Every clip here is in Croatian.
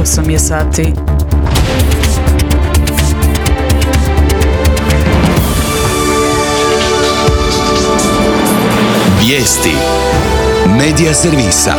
8 je sati. Vijesti Medija servisa.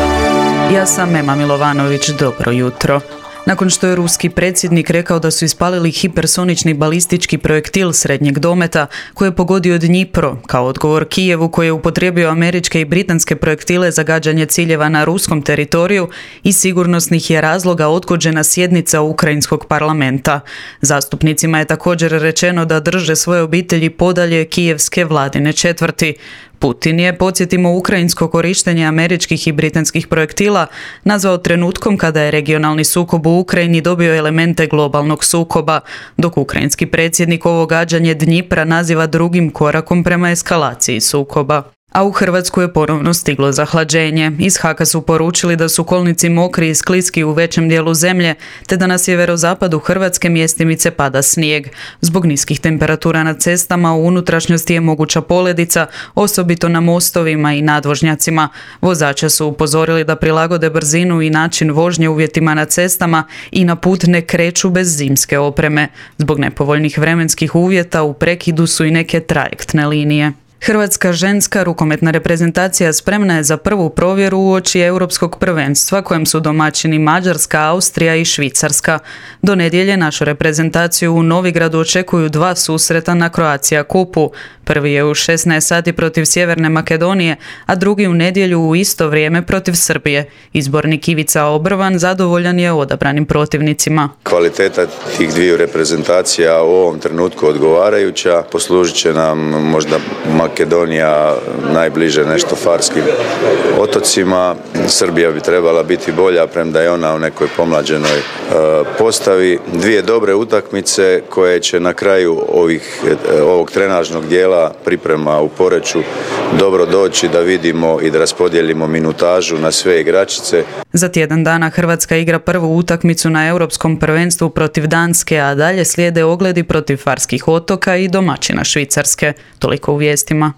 Ja sam Ema Milovanović, dobro jutro. Nakon što je ruski predsjednik rekao da su ispalili hipersonični balistički projektil srednjeg dometa koji je pogodio Dnjipro, kao odgovor Kijevu koji je upotrijebio američke i britanske projektile za gađanje ciljeva na ruskom teritoriju, iz sigurnosnih je razloga odgođena sjednica ukrajinskog parlamenta. Zastupnicima je također rečeno da drže svoje obitelji podalje kijevske vladine četvrti. Putin je, podsjetimo, ukrajinsko korištenje američkih i britanskih projektila nazvao trenutkom kada je regionalni sukob u Ukrajini dobio elemente globalnog sukoba, dok ukrajinski predsjednik ovo gađanje Dnjipra naziva drugim korakom prema eskalaciji sukoba. A u Hrvatsku je ponovno stiglo zahlađenje. Iz HAK-a su poručili da su kolnici mokri i skliski u većem dijelu zemlje, te da na sjeverozapadu Hrvatske mjestimice pada snijeg. Zbog niskih temperatura na cestama u unutrašnjosti je moguća poledica, osobito na mostovima i nadvožnjacima. Vozače su upozorili da prilagode brzinu i način vožnje uvjetima na cestama i na put ne kreću bez zimske opreme. Zbog nepovoljnih vremenskih uvjeta u prekidu su i neke trajektne linije. Hrvatska ženska rukometna reprezentacija spremna je za prvu provjeru uoči Europskog prvenstva kojem su domaćini Mađarska, Austrija i Švicarska. Do nedjelje našu reprezentaciju u Novigradu očekuju 2 susreta na Croatia Cupu. Prvi je u 16 sati protiv Sjeverne Makedonije, a drugi u nedjelju u isto vrijeme protiv Srbije. Izbornik Ivica Obrvan zadovoljan je odabranim protivnicima. Kvaliteta tih dviju reprezentacija u ovom trenutku odgovarajuća. Poslužit će nam možda Makedonija najbliže nešto Farskim otocima. Srbija bi trebala biti bolja, premda je ona u nekoj pomlađenoj postavi. Dvije dobre utakmice koje će na kraju ovog trenažnog dijela priprema u Poreču dobro doći da vidimo i da raspodijelimo minutažu na sve igračice. Za tjedan dana Hrvatska igra prvu utakmicu na Europskom prvenstvu protiv Danske, a dalje slijede ogledi protiv Farskih otoka i domaćina Švicarske. Toliko u vijestima.